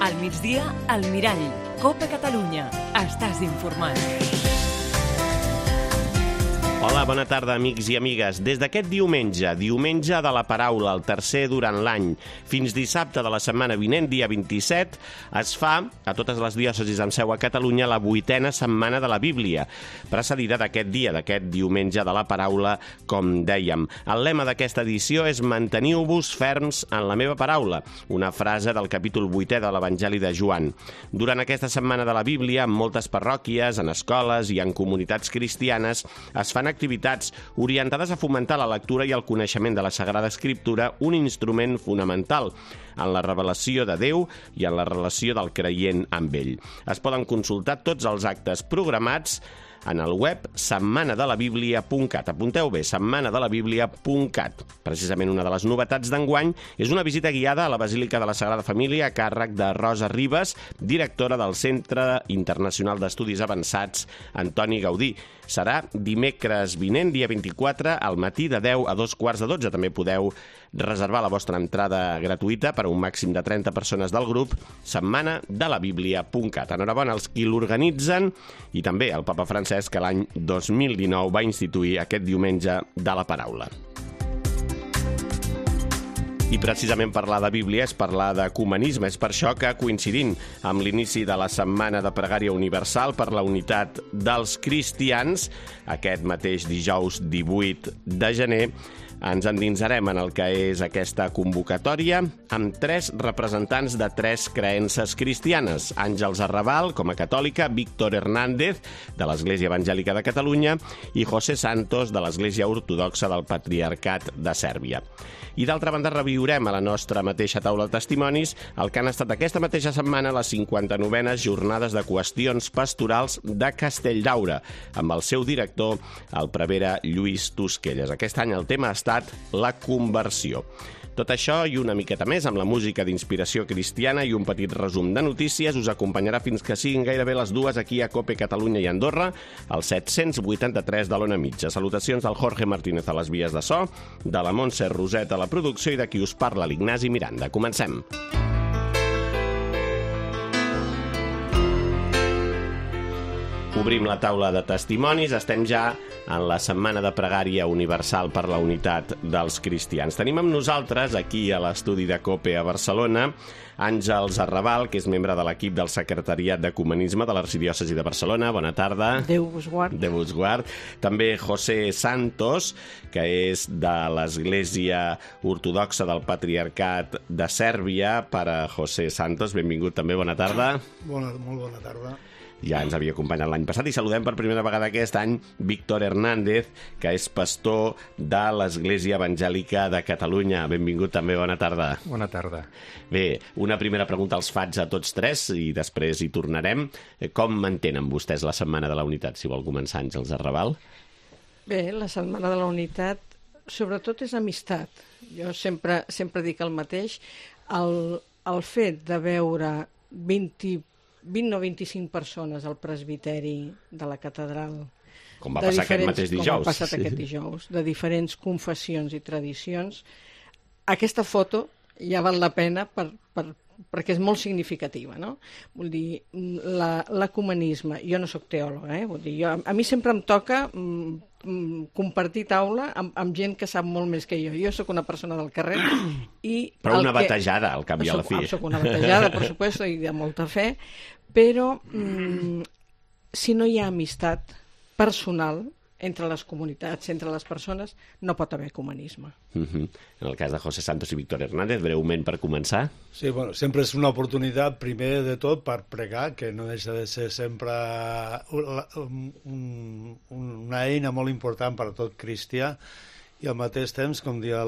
Al migdia, al Mirall. COPE Catalunya. Estàs informat. Hola, bona tarda, amics i amigues. Des d'aquest diumenge de la paraula, el tercer durant l'any, fins dissabte de la setmana vinent, dia 27, es fa, a totes les diòcesis amb seu a Catalunya, la 8a setmana de la Bíblia, precedida d'aquest dia, d'aquest diumenge de la paraula, com dèiem. El lema d'aquesta edició és «Manteniu-vos ferms en la meva paraula», una frase del capítol 8è de l'Evangeli de Joan. Durant aquesta setmana de la Bíblia, en moltes parròquies, en escoles i en comunitats cristianes, es fan activitats orientades a fomentar la lectura i el coneixement de la Sagrada Escriptura, un instrument fonamental en la revelació de Déu i en la relació del creient amb ell. Es poden consultar tots els actes programats en el web setmanadelabiblia.cat. Apunteu bé, setmanadelabiblia.cat. Precisament una de les novetats d'enguany és una visita guiada a la Basílica de la Sagrada Família a càrrec de Rosa Ribas, directora del Centre Internacional d'Estudis Avançats Antoni Gaudí. Serà dimecres vinent, dia 24, al matí de 10 a 2:15. També podeu reservar la vostra entrada gratuïta per a un màxim de 30 persones del grup, setmanadelabiblia.cat. Enhorabona als qui l'organitzen i també al papa Francesc, que l'any 2019 va instituir aquest diumenge de la paraula. I precisament parlar de Bíblia és parlar d'ecumenisme. És per això que, coincidint amb l'inici de la Setmana de Pregària Universal per la Unitat dels Cristians, aquest mateix dijous 18 de gener, ens endinsarem en el que és aquesta convocatòria amb 3 representants de 3 creences cristianes. Àngels Arrabal, com a catòlica, Víctor Hernández, de l'Església Evangèlica de Catalunya, i José Santos, de l'Església Ortodoxa del Patriarcat de Sèrbia. I d'altra banda reviurem a la nostra mateixa taula de testimonis el que han estat aquesta mateixa setmana les 59enes jornades de qüestions pastorals de Castelldaura, amb el seu director, el prevere Lluís Tosquelles. Aquest any el tema ha estat la conversió. Tot això i una miqueta més amb la música d'inspiració cristiana i un petit resum de notícies us acompanyarà fins que siguin gairebé les 2 aquí a COPE Catalunya i Andorra, al 783 de l'Ona Mitja. Salutacions del Jorge Martínez a les vies de so, de la Montse Roset a la producció i de qui us parla, l'Ignasi Miranda. Comencem. Obrim la taula de testimonis. Estem ja en la Setmana de Pregària Universal per la Unitat dels Cristians. Tenim amb nosaltres, aquí a l'estudi de COPE a Barcelona, Àngels Arrabal, que és membre de l'equip del Secretariat d'Ecumenisme de l'Arxidiòcesi de Barcelona. Bona tarda. Déu vos guard. Déu vos guard. També José Santos, que és de l'Església Ortodoxa del Patriarcat de Sèrbia. Per a José Santos, benvingut també, bona tarda. Molt bona tarda. Ja ens havia acompanyat l'any passat i saludem per primera vegada aquest any Víctor Hernández, que és pastor de l'Església Evangèlica de Catalunya. Benvingut també, bona tarda. Bona tarda. Bé, una primera pregunta els faig a tots tres i després hi tornarem. Com mantenen vostès la Setmana de la Unitat? Si vol començar, Àngels Arrabal. Bé, la Setmana de la Unitat sobretot és amistat. Jo sempre dic el mateix. El fet de veure 20 o 25 persones al presbiteri de la catedral. Com va passar aquest mateix dijous. Com ha passat aquest dijous, de diferents confessions i tradicions. Aquesta foto ja val la pena perquè és molt significativa, no? Vull dir, l'ecumenisme, jo no sóc teòloga, vull dir, a mi sempre em toca compartir taula amb gent que sap molt més que jo. Jo sóc una persona del carrer i... Però una batejada, al cap i a la fi. Soc una batejada, per supuesto, i de molta fe, però si no hi ha amistat personal entre les comunitats, entre les persones, no pot haver ecumenisme. En el cas de José Santos i Víctor Hernández, breument per començar. Sí, bueno, sempre és una oportunitat, primer de tot, per pregar, que no deixa de ser sempre una eina molt important per a tot cristià, i al mateix temps, com dia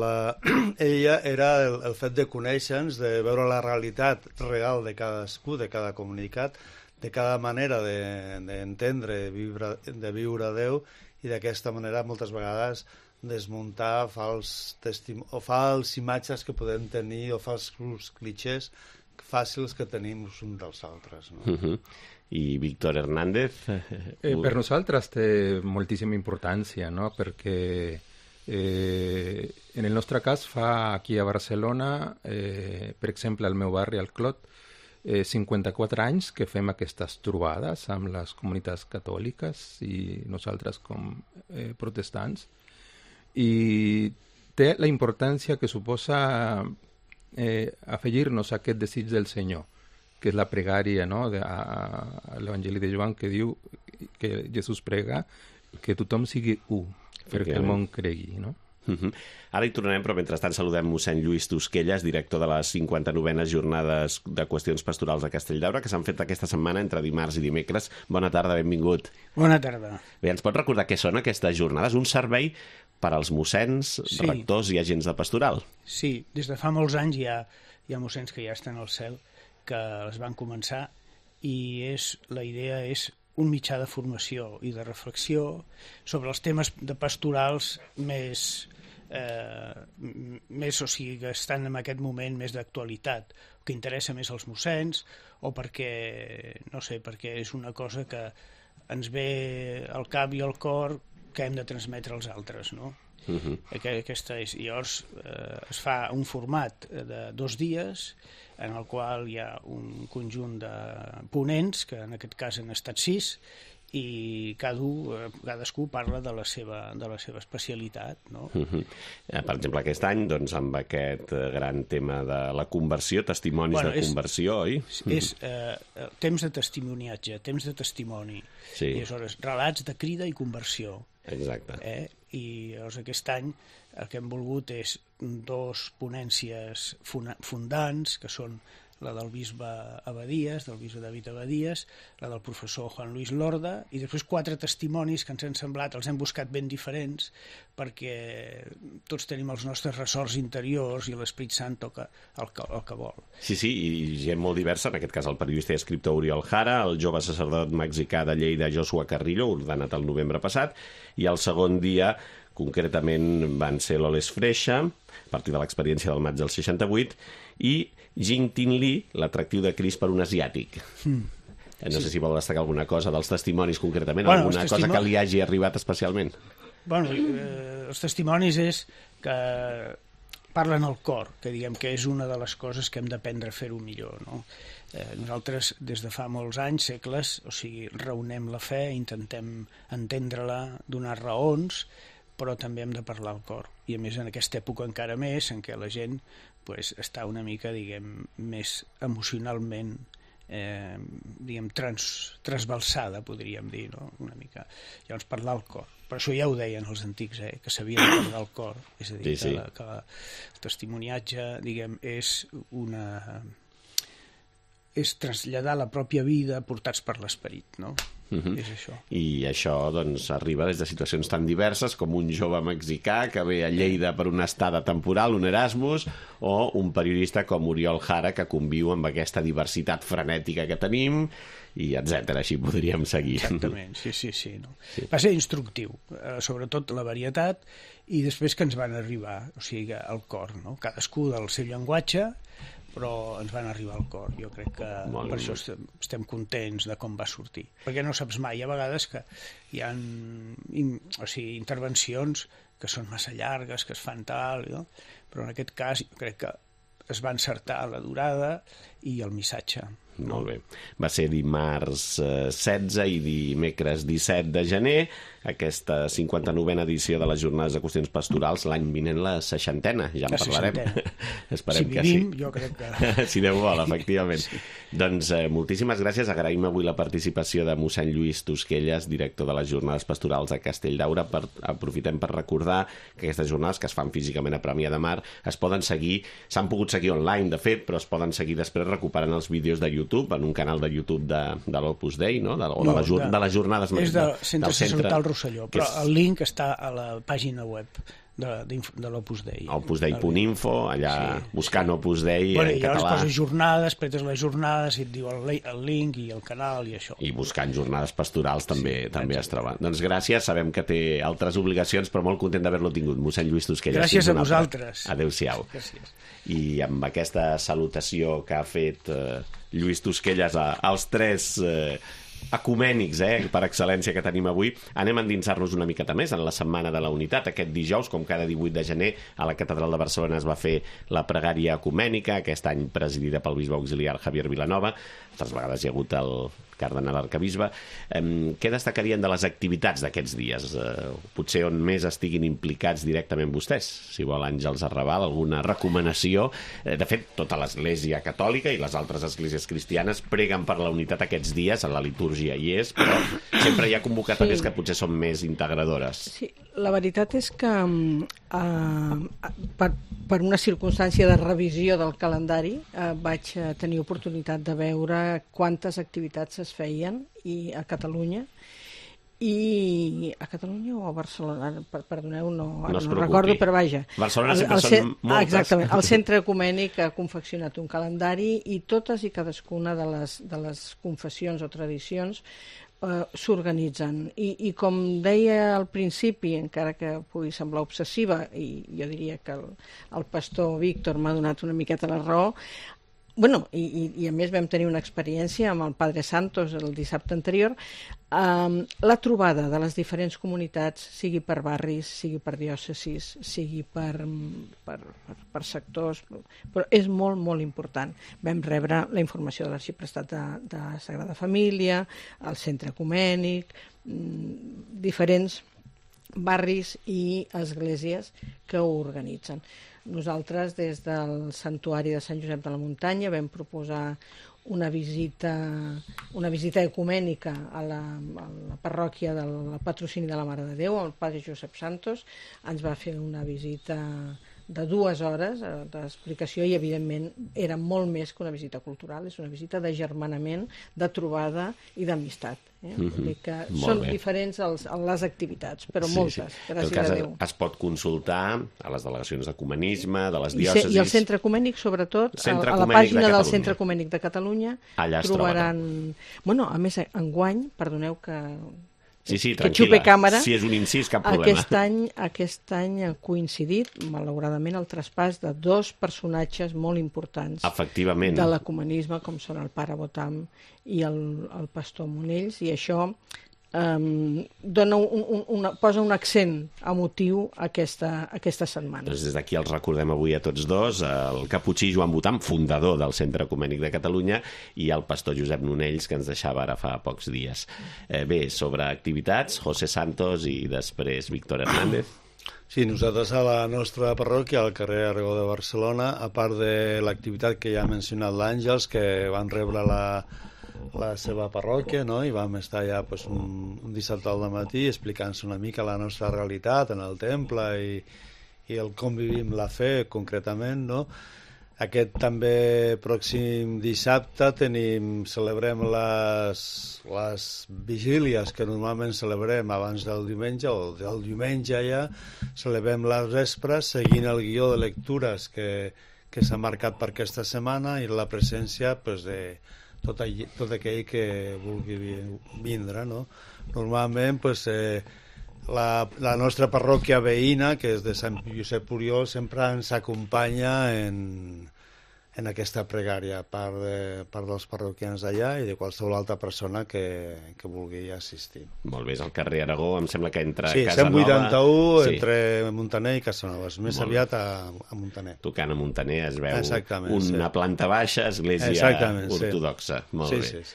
ella, era el fet de conèixer-nos, de veure la realitat real de cadascú, de cada comunitat, de cada manera d'entendre, de viure a Déu, i d'aquesta manera moltes vegades desmuntar fals imatges que podem tenir o falsos clichés fàcils que tenim uns dels altres. No? I Víctor Hernández? Per nosaltres té moltíssima importància, no? Perquè en el nostre cas fa aquí a Barcelona, per exemple al meu barri, al Clot, 54 anys que fem aquestes trobades amb les comunitats catòliques i nosaltres com protestants, i té la importància que suposa afegir-nos a aquest desig del Senyor, que és la pregària, no?, a l'Evangeli de Joan, que diu que Jesús prega que tothom sigui u, perquè el món cregui, no? Ara hi tornarem, però mentrestant saludem mossèn Lluís Tosquelles, director de les 59enes jornades de qüestions pastorals de Castelldaura, que s'han fet aquesta setmana entre dimarts i dimecres. Bona tarda, benvingut. Bona tarda. Bé, ens pot recordar què són aquestes jornades? Un servei per als mossèns, rectors i agents de pastoral. Sí, des de fa molts anys hi ha mossèns que ja estan al cel, que les van començar, i la idea és un mitjà de formació i de reflexió sobre els temes de pastorals més, o sigui, que estan en aquest moment més d'actualitat, que interessa més als mossèns, o perquè, no sé, perquè és una cosa que ens ve al cap i al cor que hem de transmetre als altres, no? Aquesta és. Llavors es fa un format de 2 dies en el qual hi ha un conjunt de ponents, que en aquest cas han estat 6, i cadascú parla de la seva especialitat, no? Per exemple, aquest any, doncs, amb aquest gran tema de la conversió, testimonis de conversió, oi? És temps de testimoniatge, temps de testimoni. I aleshores, relats de crida i conversió. Exacte. I llavors aquest any el que hem volgut és 2 ponències fundants, que són la del bisbe Abadies, del bisbe David Abadies, la del professor Juan Luis Lorda, i després 4 testimonis que ens han semblat, els hem buscat ben diferents, perquè tots tenim els nostres ressorts interiors i l'Esperit Sant toca el que vol. Sí, i gent molt diversa, en aquest cas el periodista i escriptor Oriol Jara, el jove sacerdot mexicà de Lleida Joshua Carrillo, ordenat el novembre passat, i el segon dia concretament van ser l'Oles Freixa, a partir de l'experiència del maig del 68, i Jing Tin Lee, l'atractiu de Crist per un asiàtic. No sé si vol destacar alguna cosa dels testimonis concretament, alguna cosa que li hagi arribat especialment. Els testimonis és que parlen al cor, que diguem que és una de les coses que hem d'aprendre a fer-ho millor, no? Nosaltres, des de fa molts anys, segles, o sigui, raonem la fe, intentem entendre-la, donar raons, però també hem de parlar al cor. I a més en aquesta època encara més, en què la gent està una mica, diguem, més emocionalment transbalsada, podríem dir, no? Una mica. Llavors, parlar al cor. Per això ja ho deien els antics, que s'havia de parlar al cor. És a dir, que el testimoniatge, diguem, és traslladar la pròpia vida portats per l'esperit, no? És això. I això, doncs, arriba des de situacions tan diverses com un jove mexicà que ve a Lleida per una estada temporal, un Erasmus, o un periodista com Oriol Jara, que conviu amb aquesta diversitat frenètica que tenim, i etcètera. Així podríem seguir. Exactament, sí. No? Va ser instructiu, sobretot la varietat, i després que ens van arribar, o sigui, al cor, no? Cadascú del seu llenguatge, però ens van arribar al cor. Jo crec que per això estem contents de com va sortir. Perquè no saps mai, a vegades que hi ha intervencions que són massa llargues, que es fan tal, no? Però en aquest cas jo crec que es va encertar la durada i el missatge. Molt bé. Va ser dimarts 16 i dimecres 17 de gener, aquesta 59a edició de les Jornades de Qüestions Pastorals, l'any vinent la 60a, ja en parlarem. Esperem que sí. Jo crec que... Si Déu vol, efectivament. Doncs moltíssimes gràcies. Agraïm avui la participació de mossèn Lluís Tosquelles, director de les Jornades Pastorals a Castelldaura. Aprofitem per recordar que aquestes jornades, que es fan físicament a Premià de Mar, es poden seguir, s'han pogut seguir online, de fet, però es poden seguir després recuperant els vídeos de YouTube, en un canal de YouTube de l'Opus Dei, no? De les jornades... És del Centre Sacerdotal Rosselló, però el link està a la pàgina web de l'Opus Dei. opusdei.info, allà buscant Opus Dei en català. I llavors poses jornades, pretes les jornades i et diu el link i el canal i això. I buscant jornades pastorals també es troba. Doncs gràcies, sabem que té altres obligacions, però molt content d'haver-lo tingut. Mossèn Lluís Tosquelles. Gràcies a vosaltres. Adéu-siau. Gràcies. I amb aquesta salutació que ha fet Lluís Tosquelles als 3 ecumènics, per excel·lència que tenim avui, anem a endinsar-nos una miqueta més en la Setmana de la Unitat. Aquest dijous, com cada 18 de gener, a la Catedral de Barcelona es va fer la pregària ecumènica, aquest any presidida pel bisbe auxiliar Javier Vilanova. Altres vegades hi ha hagut el cardenal arcabisbe. Què destacarien de les activitats d'aquests dies? Potser on més estiguin implicats directament vostès? Si vol, Àngels Arrabal, alguna recomanació? De fet, tota l'Església Catòlica i les altres esglésies cristianes preguen per la unitat aquests dies, a la litúrgia hi és, però sempre hi ha convocatòries que potser són més integradores. Sí, la veritat és que per una circumstància de revisió del calendari vaig tenir oportunitat de veure quantes activitats es feien a Catalunya o a Barcelona, perdoneu, no recordo, però vaja. Barcelona sempre són moltes. Exactament, el Centre Ecumènic ha confeccionat un calendari i totes i cadascuna de les confessions o tradicions s'organitzen. I com deia al principi, encara que pugui semblar obsessiva, i jo diria que el pastor Víctor m'ha donat una miqueta la raó, i a més vam tenir una experiència amb el Padre Santos el dissabte anterior, la trobada de les diferents comunitats, sigui per barris, sigui per diòcesis, sigui per sectors, però és molt, molt important. Vam rebre la informació de l'Arxiprestat de Sagrada Família, el Centre Ecumènic, diferents barris i esglésies que ho organitzen. Nosaltres, des del Santuari de Sant Josep de la Muntanya, vam proposar una visita ecumènica a la parròquia del Patrocini de la Mare de Déu, el Padre Josep Santos. Ens va fer una visita de 2 hores d'explicació i, evidentment, era molt més que una visita cultural, és una visita d'agermanament, de trobada i d'amistat. Vull dir que són diferents les activitats, però moltes, gràcies a Déu. Es pot consultar a les delegacions d'ecumenisme, de les diòcesis... I el Centre Ecumènic, sobretot, a la pàgina del Centre Ecumènic de Catalunya, trobaran... A més, enguany, perdoneu que... Sí, que xupe càmera. Si és un incís, cap problema. Aquest any ha coincidit, malauradament, el traspàs de 2 personatges molt importants de l'ecumenisme, com són el pare Botam i el pastor Monells, i això posa un accent emotiu a aquesta setmana. Doncs des d'aquí els recordem avui a tots dos, el caputxí Joan Botam, fundador del Centre Ecumènic de Catalunya, i el pastor Josep Nonells, que ens deixava ara fa pocs dies. Bé, sobre activitats, José Santos i després Víctor Hernández. Sí, nosaltres a la nostra parròquia, al carrer Aragó de Barcelona, a part de l'activitat que ja ha mencionat l'Àngels, que van rebre la seva parròquia, no? I vam estar ja un dissabte al matí explicant-se una mica la nostra realitat en el temple i el com vivim la fe concretament, no? Aquest també pròxim dissabte celebrem les vigílies que normalment celebrem abans del diumenge, o del diumenge ja celebrem les vespres seguint el guió de lectures que s'ha marcat per aquesta setmana i la presència de tot aquell que vulgui vindre, no? Normalment, la nostra parròquia veïna, que és de Sant Josep Oriol, sempre ens acompanya en aquesta pregària, a part dels parroquians d'allà i de qualsevol altra persona que vulgui assistir. Molt bé, és al carrer Aragó, em sembla que entre Casa Nova... 181, entre Montaner i Casa Nova, més aviat a Montaner. Tocant a Montaner es veu una planta baixa, església ortodoxa. Molt bé.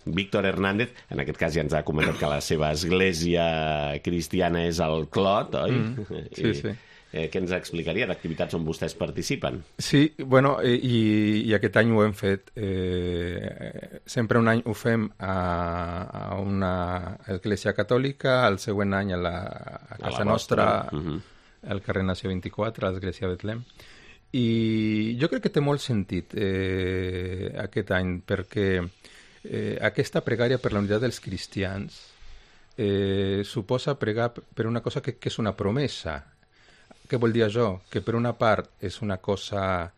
Víctor Hernández, en aquest cas ja ens ha comentat que la seva església cristiana és el Clot, oi? Sí. Què ens explicaria d'activitats on vostès participen? Sí, i aquest any ho hem fet. Sempre un any ho fem a una església catòlica, el següent any a casa nostra, al carrer Nació 24, a l'església Betlem. I jo crec que té molt sentit aquest any, perquè aquesta pregària per la unitat dels cristians suposa pregar per una cosa que és una promesa. Què vol dir això? Que per una part és una cosa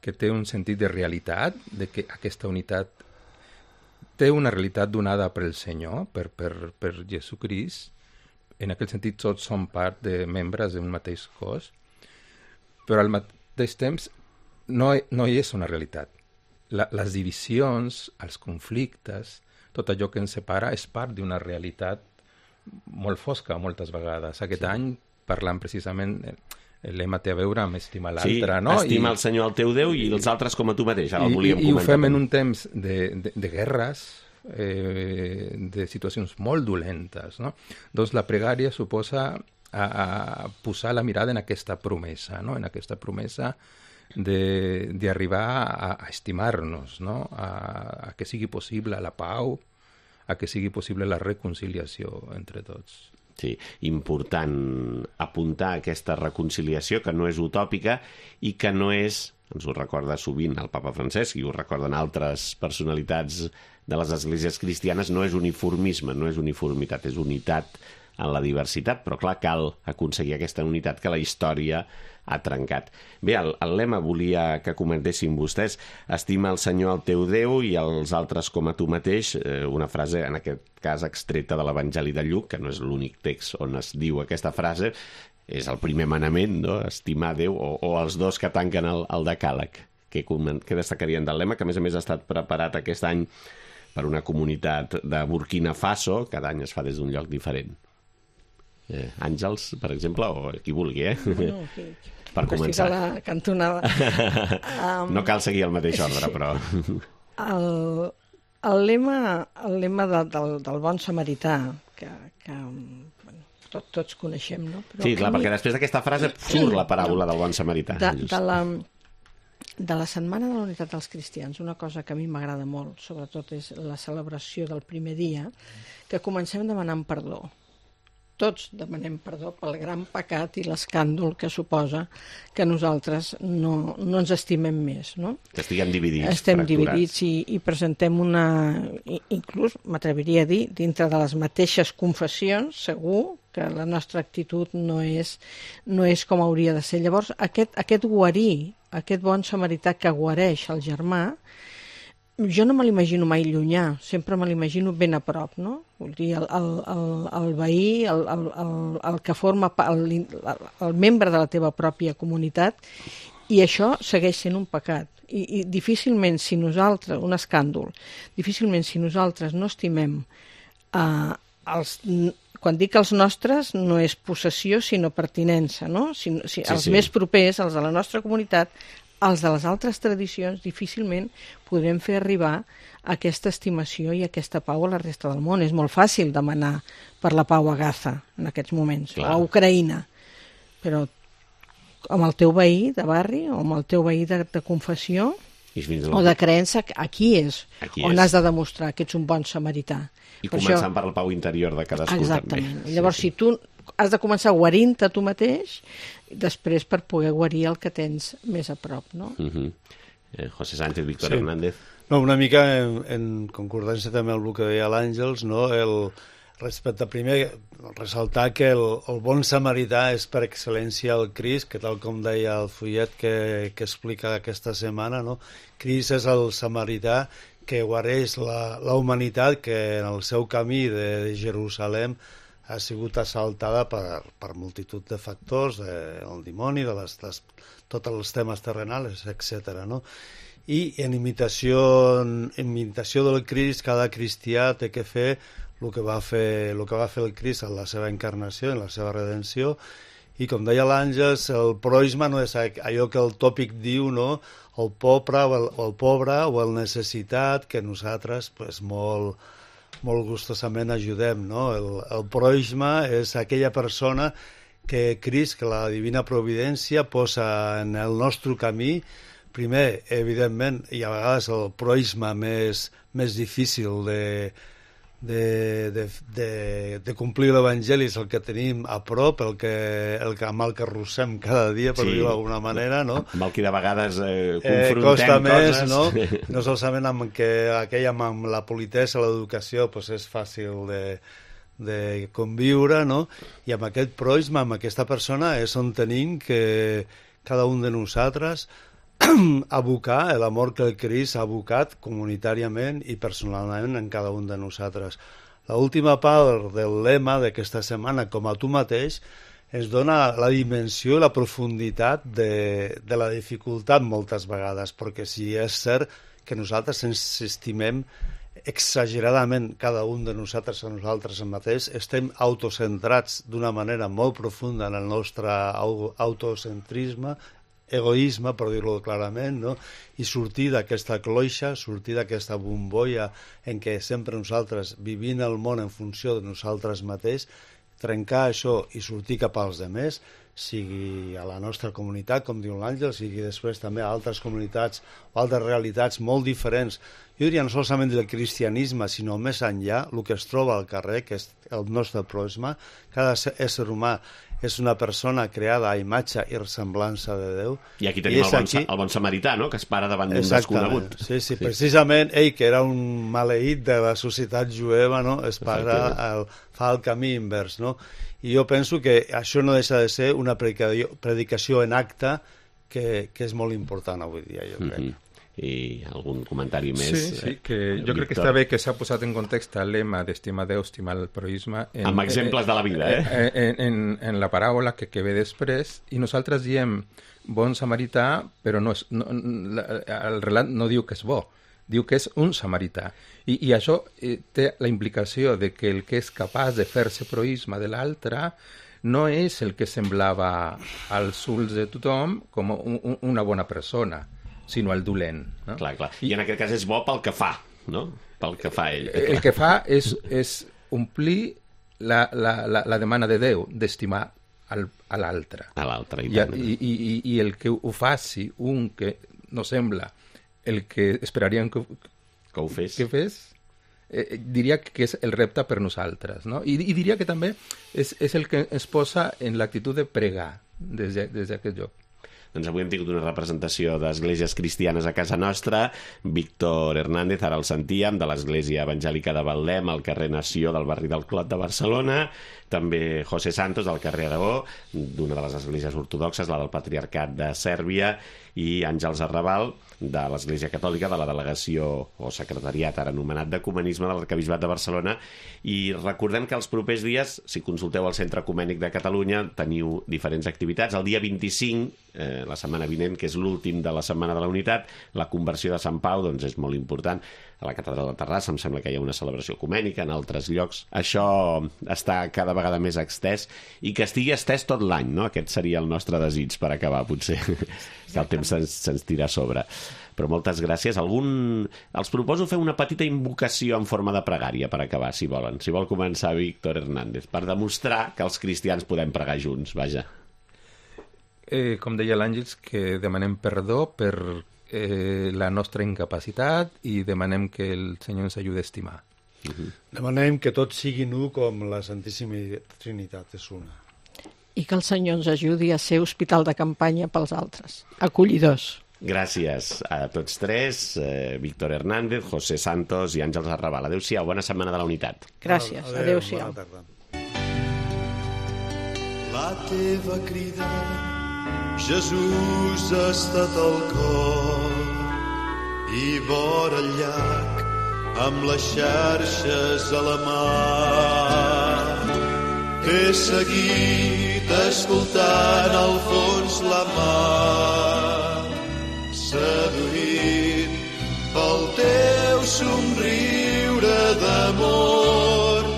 que té un sentit de realitat, de que aquesta unitat té una realitat donada per el Senyor, per Jesucrist. En aquest sentit tots som part de membres d'un mateix cos, però al mateix temps no hi és una realitat. les divisions, els conflictes, tot allò que ens separa és part d'una realitat molt fosca moltes vegades. Aquest any, parlant precisament, el lema té a veure amb estimar l'altre, no? Estima el Senyor el teu Déu i els altres com a tu mateix. Ara el volíem comentar. I ho fem en un temps de guerres, de situacions molt dolentes, no? Doncs la pregària suposa a posar la mirada en aquesta promesa, no? En aquesta promesa d'arribar a estimar-nos, no? A que sigui possible la pau, a que sigui possible la reconciliació entre tots. Sí, important apuntar aquesta reconciliació que no és utòpica i que no és, ens ho recorda sovint el papa Francesc i ho recorden altres personalitats de les esglésies cristianes, no és uniformisme, no és uniformitat, és unitat en la diversitat, però clar, cal aconseguir aquesta unitat que la història ha trencat. Bé, el lema volia que comentessin vostès: estima el Senyor el teu Déu i els altres com a tu mateix, una frase, en aquest cas, extreta de l'Evangeli de Lluc, que no és l'únic text on es diu aquesta frase, és el primer manament, no? Estimar Déu, o els dos que tanquen el decàleg. Què destacarien del lema, que a més ha estat preparat aquest any per una comunitat de Burkina Faso, cada any es fa des d'un lloc diferent. Àngels, per exemple, o qui vulgui, No, per començar. A la cantonada. No cal seguir el mateix ordre, però... El lema del bon samarità, que bueno, tots coneixem, no? Però sí, clar, perquè després d'aquesta frase surt la paràbola del bon samarità. De la Setmana de la Unitat dels Cristians, una cosa que a mi m'agrada molt, sobretot, és la celebració del primer dia, que comencem demanant perdó. Tots demanem perdó pel gran pecat i l'escàndol que suposa que nosaltres no ens estimem més, no? Que estiguem dividits. Estem dividits i presentem inclús, m'atreviria a dir, dintre de les mateixes confessions, segur que la nostra actitud no és com hauria de ser. Llavors, aquest guarir, aquest bon samarità que guareix el germà, jo no me l'imagino mai llunyà, sempre me l'imagino ben a prop, no? Vull dir, el veí, el que forma el membre de la teva pròpia comunitat, i això segueix sent un pecat. I difícilment, si nosaltres, un escàndol, difícilment si nosaltres no estimem quan dic els nostres, no és possessió, sinó pertinença, no? Els més propers, els de la nostra comunitat, els de les altres tradicions, difícilment podrem fer arribar aquesta estimació i aquesta pau a la resta del món. És molt fàcil demanar per la pau a Gaza en aquests moments, o a Ucraïna, però amb el teu veí de barri o amb el teu veí de confessió o de creença, aquí és on has de demostrar que ets un bon samarità. I començant per la pau interior de cadascú. Exactament. Llavors, si tu has de començar guarint-te tu mateix, després per poder guarir el que tens més a prop, no? José Sánchez, Víctor Hernández. No, una mica en concordància també amb el que deia l'Àngels, no? Respecte a primer, ressaltar que el bon samarità és per excel·lència el Crist, que tal com deia el fullet que explica aquesta setmana, no? Crist és el samarità que guareix la humanitat que en el seu camí de Jerusalem ha sigut assaltada per multitud de factors, el dimoni, tots els temes terrenals, etc. No? I en imitació del Crist, cada cristià té que fer el que va fer el Crist en la seva encarnació, en la seva redenció, i com deia l'Àngels, el proisma no és allò que el tòpic diu, no? El pobre o el necessitat, que nosaltres pues, molt gustosament ajudem, no? El proisma és aquella persona que Crist, que la divina providència, posa en el nostre camí. Primer, evidentment, i a vegades el proisma més difícil de complir l'Evangeli és el que tenim a prop, amb el que arrossem cada dia, per dir-ho d'alguna manera, no? Amb el que de vegades confrontem costa més, coses. No? No solament amb la politessa, l'educació, pues és fàcil de conviure, no? I amb aquest proisma, amb aquesta persona, és on tenim que cada un de nosaltres abocar l'amor que el Crist ha abocat comunitàriament i personalment en cada un de nosaltres. L'última part del lema d'aquesta setmana, com a tu mateix, ens dona la dimensió i la profunditat de la dificultat moltes vegades, perquè si és cert que nosaltres ens estimem exageradament cada un de nosaltres a nosaltres mateix, estem autocentrats d'una manera molt profunda en el nostre autocentrisme, egoisme, per dir-ho clarament, no? I sortir d'aquesta cloixa, sortir d'aquesta bombolla en què sempre nosaltres vivim el món en funció de nosaltres mateix, trencar això i sortir cap als demés, sigui a la nostra comunitat, com diu l'Àngel, sigui després també a altres comunitats o altres realitats molt diferents. Jo diria no solament del cristianisme, sinó més enllà, el que es troba al carrer, que és el nostre pròxim. Cada ésser humà és una persona creada a imatge i semblança de Déu. I aquí tenim el bon samarità, no?, que es para davant d'un desconegut. Sí, precisament ell, que era un maleït de la societat jueva, no?, es para, fa el camí invers, no? I jo penso que això no deixa de ser una predicació en acte que és molt important avui dia, jo crec. I algun comentari més? Sí, que jo crec que està bé que s'ha posat en context el lema d'estimar Déu, estimar el proïsme. Amb exemples de la vida, en la paràbola que ve després, i nosaltres diem bon samarità, però el relat no diu que és bo, diu que és un samarità. I això té la implicació de que el que és capaç de fer-se proïsme de l'altre no és el que semblava als ulls de tothom com una bona persona, sinó el dolent. No? Clar. I en aquest cas és bo pel que fa, no? Pel que fa ell. El que fa és omplir la demanda de Déu d'estimar a l'altre. A l'altre. I el que ho faci un que no sembla el que esperaríem que ho fes, diria que és el repte per nosaltres, no? I diria que també és el que ens posa en l'actitud de pregar des d'aquest lloc. Doncs avui hem tingut una representació d'esglésies cristianes a casa nostra. Víctor Hernández, ara el sentíem, de l'Església Evangèlica de Betlem, al carrer Nació del barri del Clot de Barcelona. També José Santos, del carrer Aragó, d'una de les esglésies ortodoxes, la del Patriarcat de Sèrbia, i Àngels Arrabal, de l'Església Catòlica, de la delegació o secretariat ara anomenat d'Ecumenisme de l'Arquebisbat de Barcelona. I recordem que els propers dies, si consulteu el Centre Ecumènic de Catalunya, teniu diferents activitats. El dia 25, la setmana vinent, que és l'últim de la Setmana de la Unitat, la conversió de Sant Pau, doncs és molt important. A la Catedral de Terrassa em sembla que hi ha una celebració ecumènica, en altres llocs. Això està cada vegada més extès i que estigui estès tot l'any, no? Aquest seria el nostre desig per acabar, potser, que el temps se'ns tira a sobre. Però moltes gràcies. Els proposo fer una petita invocació en forma de pregària per acabar, si volen. Si vol començar Víctor Hernández, per demostrar que els cristians podem pregar junts, vaja. Com deia l'Àngels, que demanem perdó per la nostra incapacitat i demanem que el Senyor ens ajudi a estimar. Demanem que tots siguin un com la Santíssima Trinitat és una. I que el Senyor ens ajudi a ser hospital de campanya pels altres, acollidors. Gràcies a tots tres, Víctor Hernández, José Santos i Àngels Arrabal. Adéu-siau, bona Setmana de la Unitat. Gràcies, adéu-siau. Bona tarda. La teva crida, Jesús, ha estat al cor i vora el llac amb les xarxes a la mà. T'he seguit escoltant al fons la mar, seduït pel teu somriure d'amor,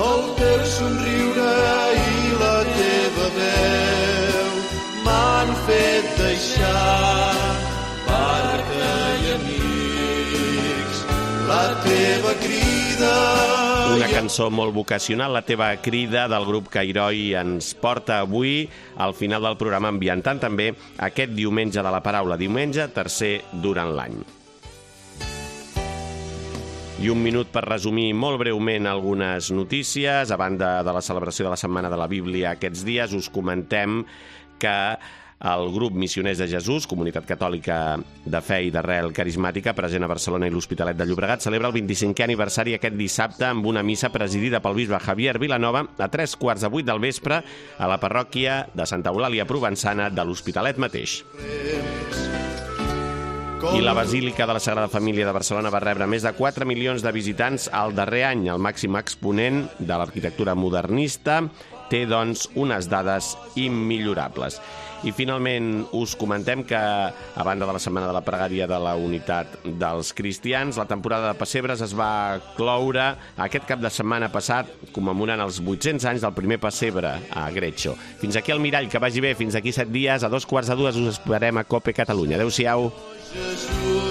el teu somriure i la teva veu m'han fet deixar barca i amics. La teva crida... Una cançó molt vocacional, la teva crida, del grup Cairoi, ens porta avui al final del programa, ambientant també aquest diumenge de la paraula, diumenge tercer durant l'any. I un minut per resumir molt breument algunes notícies. A banda de la celebració de la Setmana de la Bíblia aquests dies, us comentem que el grup Missioners de Jesús, comunitat catòlica de fe i d'arrel carismàtica, present a Barcelona i l'Hospitalet de Llobregat, celebra el 25è aniversari aquest dissabte amb una missa presidida pel bisbe Javier Vilanova a 7:45 del vespre a la parròquia de Santa Eulàlia Provençana de l'Hospitalet mateix. I la Basílica de la Sagrada Família de Barcelona va rebre més de 4 milions de visitants al darrer any, el màxim exponent de l'arquitectura modernista té, doncs, unes dades immillorables. I finalment us comentem que, a banda de la Setmana de la Pregària de la Unitat dels Cristians, la temporada de pessebres es va cloure aquest cap de setmana passat, commemorant els 800 anys del primer pessebre a Gretxo. Fins aquí el mirall, que vagi bé, fins aquí 7 dies, a 2:45 us esperem a COPE Catalunya. Adéu-siau. Jesús.